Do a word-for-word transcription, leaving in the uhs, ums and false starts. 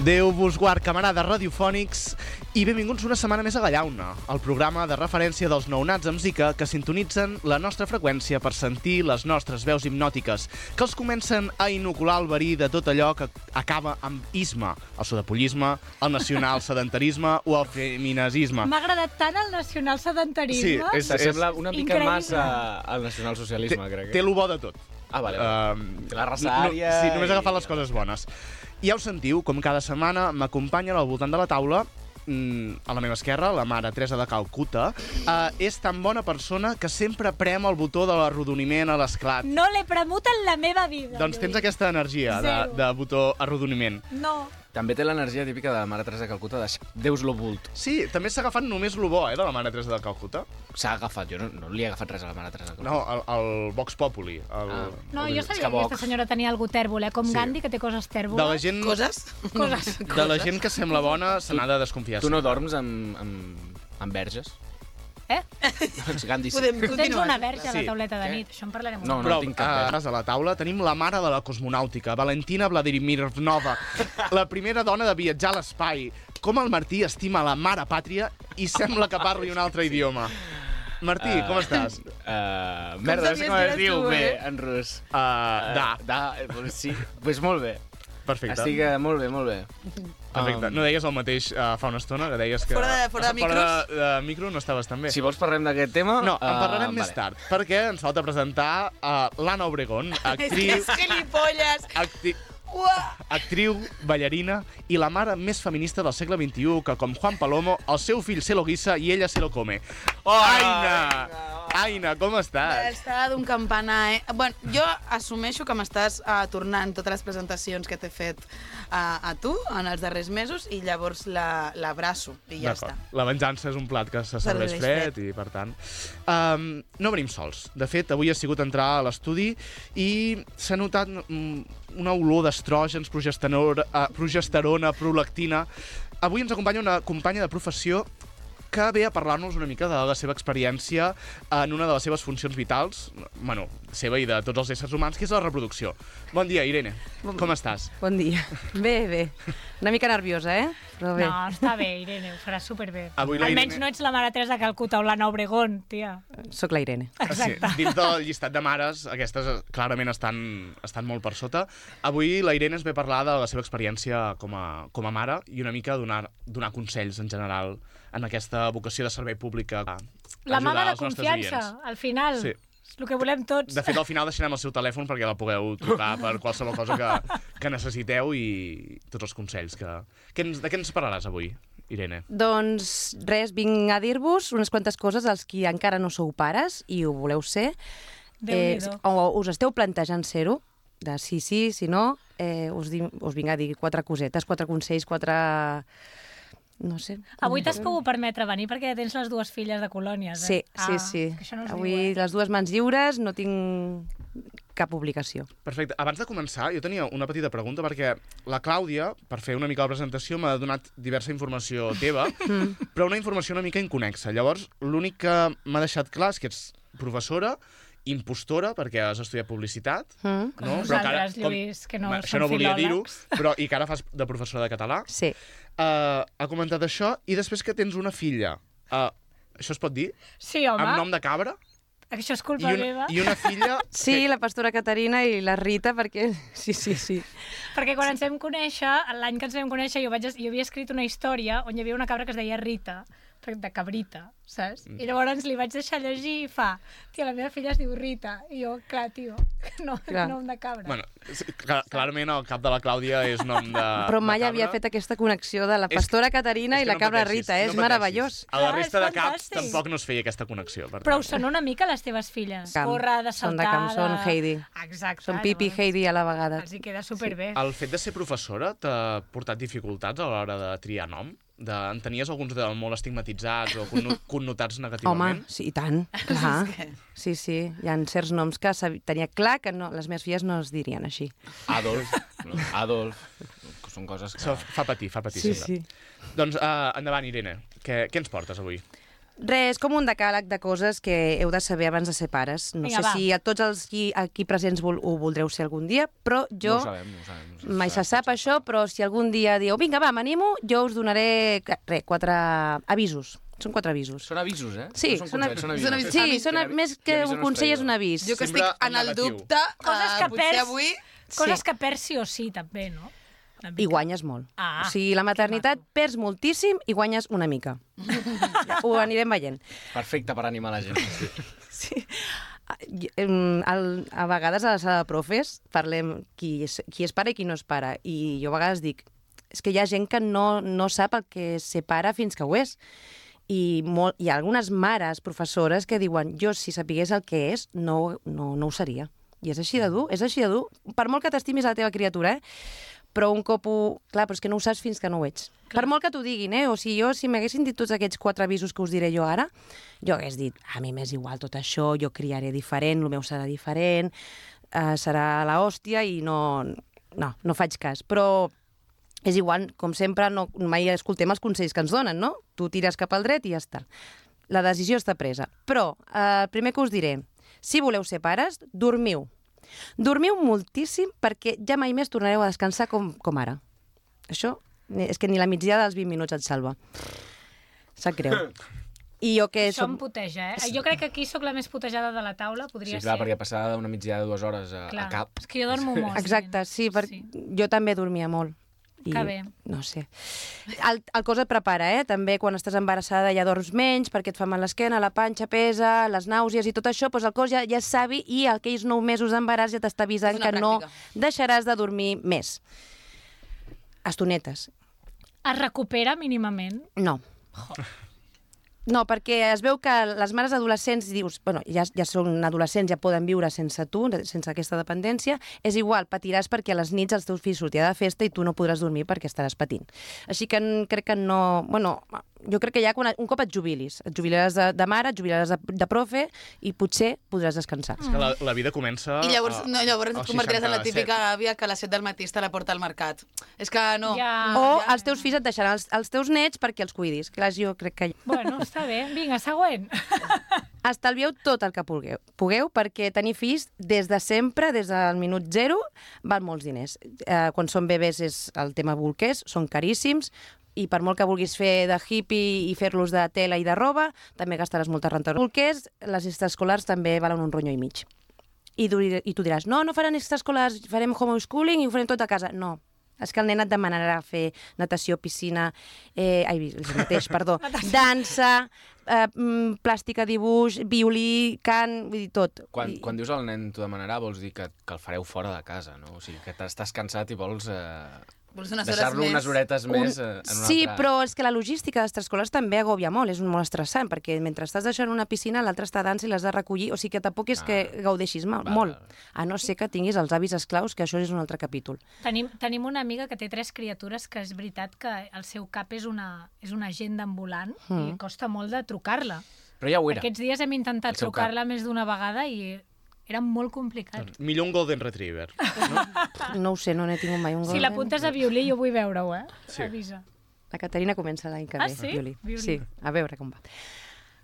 Déu vos guard, camarades radiofònics, i benvinguts una setmana més a Gallauna, el programa de referència dels nounats amb Zika que sintonitzen la nostra freqüència per sentir les nostres veus hipnòtiques, que els comencen a inocular el verí de tot allò que acaba amb isme, el sudapollisme, el nacional-sedentarisme o el feminazisme. M'ha agradat tant el nacional-sedentarisme. Sí, és, S'assembla una mica increïble. massa al nacional-socialisme, té, crec. té lo bo de tot. Ah, vale. Uh, la raça ària... No, sí, només agafar les i... coses bones. I ja ho sentiu, com cada setmana m'acompanyen al voltant de la taula, mm, a la meva esquerra, la mare Teresa de Calcuta. Uh, és tan bona persona que sempre prem el botó de l'arrodoniment a l'esclat. No l'he premut en la meva vida. Doncs tens Lluís. aquesta energia de, Zero. de botó arrodoniment. No. També té l'energia típica de la mare Teresa de Calcuta de Deus lo vult. Sí, també s'ha agafat només lo bo, eh, de la mare Teresa de Calcuta. S'ha agafat, jo no, no li he agafat res a la mare Teresa de Calcuta. No, el, el Vox Populi. El, Ah. No, el, jo És sabia que que aquesta Vox. senyora tenia algú tèrbol, eh? Com Sí. Gandhi, que té coses de tèrboles. la gent, Coses? Coses. de la gent que sembla bona se n'ha de desconfiar. Tu no dorms amb, amb, amb verges? Eh? Doncs Gandhi sí. Podem Tu tens continuar. una verge a la Sí. tauleta de Què? nit. Això en parlarem. No, un Però tinc cap a, a la taula tenim la mare de la cosmonàutica, Valentina Vladimirnova, la primera dona de viatjar a l'espai. Com el Martí estima la mare pàtria i sembla que parli un altre idioma. Martí, Uh, com estàs? Uh, merda, no sé sabies com que es eres diu tu, bé eh? en rus. Uh, da, Uh, da, eh, pues sí. Pues molt bé. perfecte. Estic uh, molt bé, molt bé. Perfecte. Um, No deies el mateix uh, fa una estona, que deies que... Fora de- fora de Fora de, de micro no estaves tan bé. Si vols parlem d'aquest tema... No, en uh, parlarem més vale. tard, perquè ens falta presentar uh, l'Anna Obregón, actriu, És gilipolles! acti Uah! actriu, ballarina i la mare més feminista del segle vint-i-u, que com Juan Palomo, el seu fill se lo guisa i ella se lo come. Oh, Aina! Aina, com estàs? Està d'un campanar, eh? Bueno, jo assumeixo que m'estàs uh, tornant totes les presentacions que t'he fet uh, a tu en els darrers mesos i llavors la- l'abraço i ja està. D'acord. La venjança és un plat que se serveix Serveix fred, fred. i, per tant... Um, no venim sols. De fet, avui ha sigut entrar a l'estudi i s'ha notat mm, una olor d'estrògens, progesterona, uh, progesterona, prolactina. Avui ens acompanya una companya de professió que ve a parlar-nos una mica de la seva experiència en una de les seves funcions vitals, bueno, seva i de tots els éssers humans, que és la reproducció. Bon dia, Irene. Bon- Com estàs? Bon dia. Bé, bé. Una mica nerviosa, eh? Però bé. No, està bé, Irene, ho faràs superbé. Avui la Almenys Irene- no ets la mare Teresa de Calcuta o l'Anna Obregón, tia. Soc la Irene. Exacte. Sí, dins del llistat de mares, aquestes eh, clarament estan, estan molt per sota. Avui la Irene ens ve a parlar de la seva experiència com a, com a mare i una mica donar, donar consells en general en aquesta vocació de servei públic. a La ajudar mama de els nostres confiança, oients. al final. Sí. És el que volem tots. De fet, al final deixarem el seu telèfon perquè la pugueu trucar per qualsevol cosa que, que necessiteu i tots els consells. Que, que ens, de què ens parlaràs avui, Irene? Doncs res, vinc a dir-vos unes quantes coses als qui encara no sou pares i ho voleu ser. Déu-n'hi-do. o us esteu plantejant ser-ho, de sí, sí, si no, eh, us, di, us vinc a dir quatre cosetes, quatre consells, quatre... No sé. Avui t'has pogut permetre venir perquè tens les dues filles de colònies, Sí, eh? sí, sí. que això no es Avui diu, eh? les dues mans lliures, no tinc cap obligació. Perfecte. Abans de començar, jo tenia una petita pregunta perquè la Clàudia, per fer una mica la presentació, m'ha donat diversa informació teva, però una informació una mica inconexa. Llavors, l'únic que m'ha deixat clar és que ets professora, impostora, perquè has estudiat publicitat, Mm? Com vosaltres, Lluís, que no Ma- som això no volia dir-ho, filòlegs. però i que ara fas de professora de català. Sí. Uh, ha comentat això, i després que tens una filla. Uh, això es pot dir? Sí, home, Amb nom de cabra? això és I culpa una, meva. I una filla... Sí, la pastora Caterina i la Rita, perquè... Sí, sí, sí. Perquè quan ens vam conèixer, l'any que ens vam conèixer, jo, vaig, jo havia escrit una història on hi havia una cabra que es deia Rita, de cabrita, saps? I llavors li vaig deixar llegir i fa, tia, la meva filla es diu Rita. I jo, clar, tio, no, Clar. nom de cabra. Bueno, sí, clar, clarament el cap de la Clàudia és nom de Però mai de havia cabra. fet aquesta connexió de la És- pastora Caterina és i que la no cabra pateixis, Rita, eh? no és pateixis. meravellós. A la Clar, resta és de caps fantàstic. tampoc no es feia aquesta connexió. Per Però tant. us són una mica les teves filles. Camp. Corre, de Són de saltada... camp, són Heidi. Exacte. Són Pipi i llavors Heidi a la vegada. Els hi queda superbé. El fet de ser professora t'ha portat dificultats a l'hora de triar nom? De, en tenies alguns de molt estigmatitzats o conno- connotats Home, negativament? sí, i tant, clar. Sí, sí, hi ha certs noms que sab- tenia clar que no, les meves filles no es dirien així. Adolf, no? Adolf, que són coses que... Això fa patir, fa patir Sí, sempre. sí. Doncs uh, endavant, Irene, què, què ens portes avui? Res, com un decàleg de coses que heu de saber abans de ser pares. No Vinga, sé va. si a tots els qui, aquí presents vol, ho voldreu ser algun dia, però jo... No ho sabem, no ho sabem. No ho Mai se sap això, però si algun dia dieu vinga, va, m'animo, jo us donaré re, quatre avisos. Són quatre avisos. Són avisos, eh? Sí, no són són consells, són avisos. avisos. Són Sí, avis- són, Qui més avi- que qui avisa un no és consell és traïdor. un avís. Jo que Sempre estic en en el negatiu. dubte, Coses eh, que potser perds. avui... Coses Sí. que perds sí o sí, també, no? Una mica. I guanyes molt. Ah, o sigui, la maternitat que maco. perds moltíssim i guanyes una mica. Ho anirem veient. Perfecte per animar la gent. Sí. Em, el, a vegades a la sala de profes parlem qui és, qui és pare i qui no és pare. I jo a vegades dic, és que hi ha gent que no, no sap el que és ser pare fins que ho és. I molt, hi ha algunes mares, professores, que diuen jo, si sapigués el que és, no, no, no ho seria. I és així de dur, és així de dur. Per molt que t'estimis a la teva criatura, eh? Però un cop ho... Clar, però és que no ho saps fins que no ho ets. Clar. Per molt que t'ho diguin, eh? O sigui, jo, si m'haguessin dit tots aquests quatre avisos que us diré jo ara, jo hagués dit, a mi m'és igual tot això, jo criaré diferent, el meu serà diferent, eh, serà la hòstia i no... No, no faig cas. Però és igual, com sempre, no, mai escoltem els consells que ens donen, no? Tu tires cap al dret i ja està. La decisió està presa. Però eh, el primer que us diré, si voleu ser pares, dormiu. Dormiu moltíssim perquè ja mai més tornareu a descansar com, com ara. Això és que ni la migdiada dels vint minuts et salva. Sap greu. I jo que Això som... em puteja, eh? Jo crec que aquí sóc la més putejada de la taula, podria Sí, clar, ser. perquè passar d'una migdiada de dues hores a, Clar, a cap... és que jo dormo molt. Exacte, sí, perquè jo també dormia molt. I, Que bé. No sé. El, el cos et prepara, eh? També quan estàs embarassada ja dorms menys perquè et fa mal l'esquena, la panxa pesa, les nàusees i tot això, doncs el cos ja, ja és savi i aquells nou mesos d'embaràs ja t'està avisant És una que no pràctica. deixaràs de dormir més. Estonetes. Es recupera mínimament? No. No, perquè es veu que les mares adolescents dius, bueno, ja, ja són adolescents, ja poden viure sense tu, sense aquesta dependència, és igual, patiràs perquè a les nits els teus fills sortiran de festa i tu no podràs dormir perquè estaràs patint. Així que crec que no... Bueno, jo crec que ja quan, un cop et jubilis, et jubilaràs de, de mare, et jubilaràs de, de profe i potser podràs descansar. És que la, la vida comença... I llavors, a- no, llavors als et convertiràs en la seixanta-set. típica àvia que a les set del matí està a la porta al mercat. És que no. Ja. O ja. els teus fills et deixaran els, els teus nets perquè els cuidis. Clar, jo crec que... Bueno, està bé. Vinga, següent. Estalvieu tot el que pugueu, pugueu perquè tenir fills des de sempre, des del minut zero, val molts diners. Eh, quan són bebès és el tema bolquers, són caríssims, i per molt que vulguis fer de hippie i fer-los de tela i de roba, també gastaràs molta renta. Bolquers, les extraescolars també valen un ronyo i mig. I, du I tu diràs, no, no faran extraescolars, farem homeschooling i ho farem tot a casa. No, és que el nen et demanarà fer natació, piscina, eh, ai, el mateix, perdó, dansa, eh, mm, plàstica, dibuix, violí, cant, vull dir, tot. Quan, I- quan dius al nen t'ho demanarà, vols dir que, que el fareu fora de casa, no? O sigui, que t'estàs cansat i vols eh, Vols unes hores deixar-lo més. unes horetes Un... més eh, en una Sí, altra... però és que la logística d'extraescolars també agòbia molt, és molt estressant, perquè mentre estàs deixant una piscina, l'altra està a dansa i l'has de recollir, o sigui que tampoc és Ah. que gaudeixis mal, Val, molt. val. A no ser que tinguis els avis esclaus, que això és un altre capítol. Tenim, tenim una amiga que té tres criatures que és veritat que el seu cap és una, és una agenda ambulant mm. i costa molt de trucar-la. Però ja ho era. Aquests dies hem intentat El seu trucar-la més d'una vegada i era molt complicat. Millor un Golden Retriever. No ho sé, no n'he tingut mai un Si golden. l'apuntes a violí, jo vull veure-ho, eh? Sí. Avisa. La Caterina comença l'any que Ah, ve, sí? violí. Violí. Sí, a veure com va.